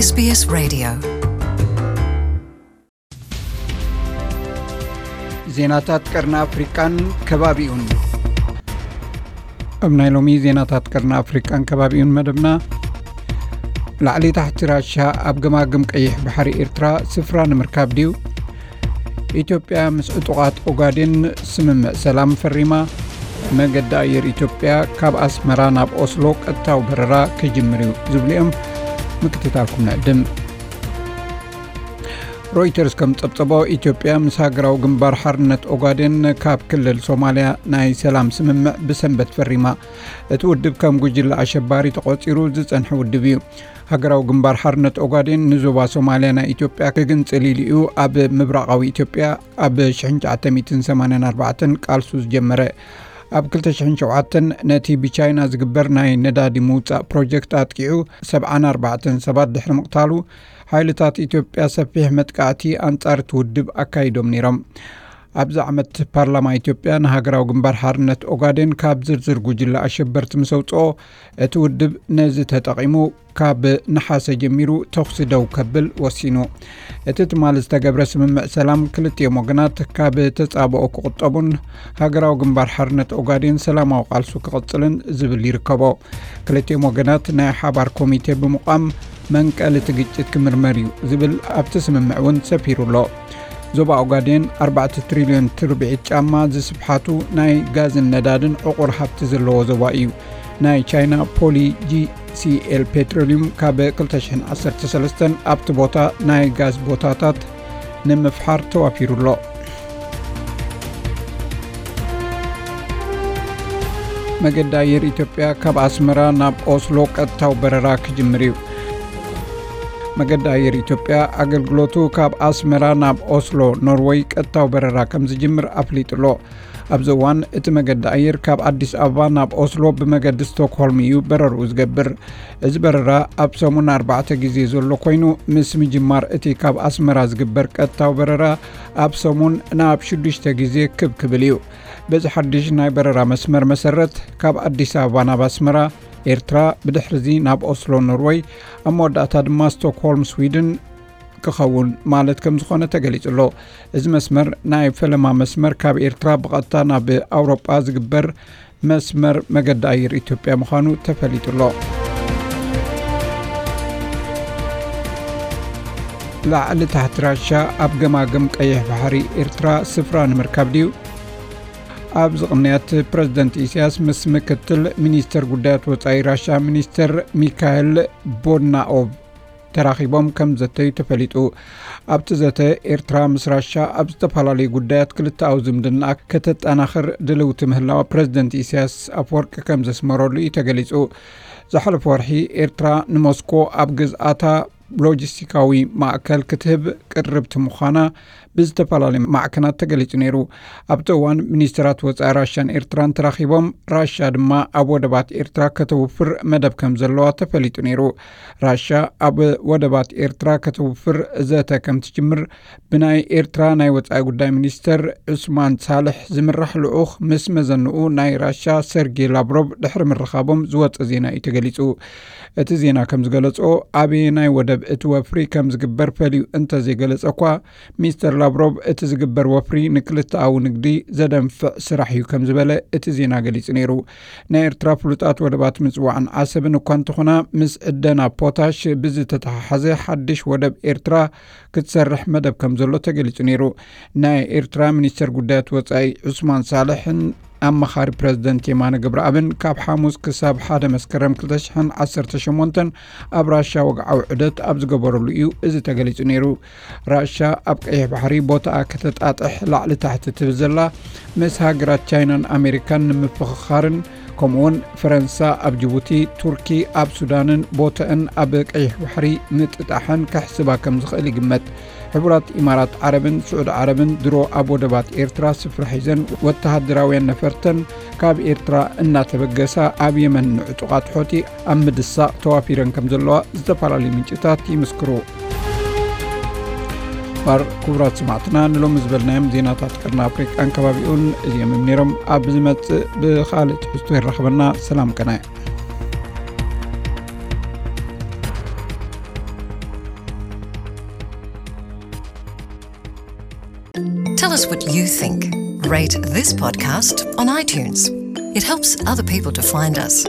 SBS Radio. ዜናታት ቀርኒ ኣፍሪቃን ከባቢኡን። ኣብ ናይ ሎሚ ዜናታት ቀርኒ ኣፍሪቃን ከባቢኡን መደብና፣ ላዕሊ ታሕቲ ራሻ ኣብ ገማግም ቀይሕ ባሕሪ ኤርትራ ስፍራ ንምርካብ ድዩ? ኢትዮጵያ ምስ ዕጡቓት ኦጋዴን ስምምዕ ሰላም ፈሪማ። መገዲ ኣየር ኢትዮጵያ ካብ ኣስመራ ናብ ኦስሎ ቀጥታዊ በረራ ክጅምር እዩ ዝብሉ እዮም። ምክትታልኩም ንዕድም። ሮይተርስ ከም ጸብጸቦ፣ ኢትዮጵያ ምስ ሃገራዊ ግንባር ሓርነት ኦጋዴን ካብ ክልል ሶማልያ ናይ ሰላም ስምምዕ ብሰንበት ፈሪማ። እቲ ውድብ ከም ጉጅለ ኣሸባሪ ተቖጺሩ ዝጸንሐ ውድብ እዩ። ሃገራዊ ግንባር ሓርነት ኦጋዴን ንዞባ ሶማልያ ናይ ኢትዮጵያ ክግንጽል ኢሉ እዩ ኣብ ምብራቓዊ ኢትዮጵያ ኣብ ሽሕን ትሽዓተ ሚእትን ሰማንያን ኣርባዕተን ቃልሱ ዝጀመረ። ኣብ ክልተ ሽሕን ሸውዓተን ነቲ ብቻይና ዝግበር ናይ ነዳዲ ምውጻእ ፕሮጀክት ኣጥቂዑ ሰብዓን ኣርባዕተን ሰባት ድሕሪ ምቕታሉ፣ ሓይልታት ኢትዮጵያ ሰፊሕ መጥቃዕቲ ኣንጻር እቲ ውድብ ኣካይዶም ነይሮም። ኣብዚ ዓመት ፓርላማ ኢትዮጵያ ንሃገራዊ ግንባር ሓርነት ኦጋዴን ካብ ዝርዝር ጉጅለ ኣሸበርቲ ምስ ኣውጽኦ፣ እቲ ውድብ ነዚ ተጠቒሙ ካብ ነሓሰ ጀሚሩ ተኹሲ ደው ከብል ወሲኑ። እቲ ትማሊ ዝተገብረ ስምምዕ ሰላም ክልቲኦም ወገናት ካብ ተጻብኦ ክቑጠቡን ሃገራዊ ግንባር ሓርነት ኦጋዴን ሰላማዊ ቃልሱ ክቕጽልን ዝብል ይርከቦ። ክልቲኦም ወገናት ናይ ሓባር ኮሚቴ ብምቋም መንቀሊ እቲ ግጭት ክምርመር እዩ ዝብል ኣብቲ ስምምዕ እውን ሰፊሩ ኣሎ። ዞባ ኦጋዴን ኣርባዕተ ትሪልዮን ትርብዒት ጫማ ዝስፍሓቱ ናይ ጋዝን ነዳድን ዕቑር ሃብቲ ዘለዎ ዞባ እዩ። ናይ ቻይና ፖሊ ጂ ሲ ኤል ፔትሮሊዩም ካብ ክልተ ሽሕን ዓሰርተ ሰለስተን ኣብቲ ቦታ ናይ ጋዝ ቦታታት ንምፍሓር ተዋፊሩ ኣሎ። መገዲ ኣየር ኢትዮጵያ ካብ ኣስመራ ናብ ኦስሎ ቀጥታዊ በረራ ክጅምር እዩ። መገዲ ኣየር ኢትዮጵያ ኣገልግሎቱ ካብ ኣስመራ ናብ ኦስሎ ኖርወይ ቀጥታዊ በረራ ከም ዝጅምር ኣፍሊጡ ኣሎ። ኣብዚ እዋን እቲ መገዲ ኣየር ካብ ኣዲስ ኣበባ ናብ ኦስሎ ብመገዲ ስቶክሆልም እዩ በረርኡ ዝገብር። እዚ በረራ ኣብ ሰሙን ኣርባዕተ ግዜ ዘሎ ኮይኑ፣ ምስ ምጅማር እቲ ካብ ኣስመራ ዝግበር ቀጥታዊ በረራ ኣብ ሰሙን ናብ ሽዱሽተ ግዜ ክብ ክብል እዩ። በዚ ሓድሽ ናይ በረራ መስመር መሰረት፣ ካብ ኣዲስ ኣበባ ናብ ኣስመራ ኤርትራ፣ ብድሕርዚ ናብ ኦስሎ ኖርወይ፣ ኣብ መወዳእታ ድማ ስቶክሆልም ስዊድን ክኸውን ማለት ከም ዝኾነ ተገሊጹ ኣሎ። እዚ መስመር ናይ ፈለማ መስመር ካብ ኤርትራ ብቐጥታ ናብ ኣውሮጳ ዝግበር መስመር መገዲ ኣየር ኢትዮጵያ ምዃኑ ተፈሊጡ ኣሎ። ላዕሊ ታሕቲ ራሻ ኣብ ገማግም ቀይሕ ባሕሪ ኤርትራ ስፍራ ንምርካብ ድዩ? ኣብዚ ቅንያት ፕረዚደንት ኢሳያስ ምስ ምክትል ሚኒስተር ጉዳያት ወጻኢ ራሻ ሚኒስተር ሚካኤል ቦድናኦቭ ተራኺቦም ከም ዘተዩ ተፈሊጡ። ኣብቲ ዘተ፣ ኤርትራ ምስ ራሻ ኣብ ዝተፈላለዩ ጉዳያት ክልተኣዊ ዝምድና ከተጠናኽር ድልውቲ ምህላዋ ፕረዚደንት ኢሳያስ ኣፈወርቂ ከም ዘስመረሉ እዩ ተገሊጹ። ዝሓለፈ ወርሒ ኤርትራ ንሞስኮ ኣብ ግዝኣታ ሎጂስቲካዊ ማእከል ክትህብ ቅርብቲ ምዃና ብዝተፈላለዩ ማዕከናት ተገሊጹ ነይሩ። ኣብቲ እዋን ሚኒስተራት ወጻኢ ራሻን ኤርትራን ተራኺቦም፣ ራሻ ድማ ኣብ ወደባት ኤርትራ ከተውፍር መደብ ከም ዘለዋ ተፈሊጡ ነይሩ። ራሻ ኣብ ወደባት ኤርትራ ከተውፍር ዘተ ከም ትጅምር ብናይ ኤርትራ ናይ ወጻኢ ጉዳይ ሚኒስተር ዑስማን ሳልሕ ዝምራሕ ልኡኽ ምስ መዘንኡ ናይ ራሻ ሰርጌ ላቭሮቭ ድሕሪ ምርኻቦም ዝወጸ ዜና እዩ ተገሊጹ። እቲ ዜና ከም ዝገለጾ፣ ኣበየናይ ወደብ እቲ ወፍሪ ከም ዝግበር ፈልዩ እንተዘይገለጸ እኳ፣ ሚስተር ላቭሮቭ እቲ ዝግበር ወፍሪ ንክልተኣዊ ንግዲ ዘደንፍዕ ስራሕ እዩ ከም ዝበለ እቲ ዜና ገሊጹ ነይሩ። ናይ ኤርትራ ፍሉጣት ወደባት ምጽዋዕን ዓሰብን እኳ እንተኾና፣ ምስ ዕደና ፖታሽ ብዝተተሓሓዘ ሓድሽ ወደብ ኤርትራ ክትሰርሕ መደብ ከም ዘሎ ተገሊጹ ነይሩ። ናይ ኤርትራ ሚኒስተር ጉዳያት ወጻኢ ዑስማን ሳልሕን ኣማኻሪ ፕረዚደንት የማነ ገብረኣብን ካብ ሓሙስ ክሳብ ሓደ መስከረም ክልተ ሽሕን ዓሰርተ ሸሞንተን ኣብ ራሻ ወግዓዊ ዑደት ኣብ ዝገበረሉ እዩ እዚ ተገሊጹ ነይሩ። ራሻ ኣብ ቀይሕ ባሕሪ ቦታኣ ከተጣጥሕ ላዕሊ ታሕቲ ትብል ዘላ፣ ምስ ሃገራት ቻይናን ኣሜሪካን ንምፍኽኻርን፣ ከምኡውን ፈረንሳ ኣብ ጅቡቲ፣ ቱርኪ ኣብ ሱዳንን ቦታኣን ኣብ ቀይሕ ባሕሪ ምጥጣሐን ከሕስባ ከም ዝኽእል ይግመት። ሕቡራት ኢማራት ዓረብን ስዑዲ ዓረብን ድሮ ኣብ ወደባት ኤርትራ ስፍራ ሒዘን፣ ወተሃደራውያን ነፈርተን ካብ ኤርትራ እናተበገሳ ኣብ የመን ንዕጡቓት ሖቲ ኣብ ምድሳቕ ተዋፊረን ከም ዘለዋ ዝተፈላለዩ ምንጭታት ይምስክሩ። ባር ክቡራት ሰማዕትና፣ ንሎሚ ዝበልናዮም ዜናታት ቀርኒ ኣፍሪቃን ከባቢኡን እዚኦም እዮም ነይሮም። ኣብ ዝመጽእ ብኻልእ ትሕዝቶ ይራኸበና። ሰላም ቀናይ። Tell us what you think. Rate this podcast on iTunes. It helps other people to find us.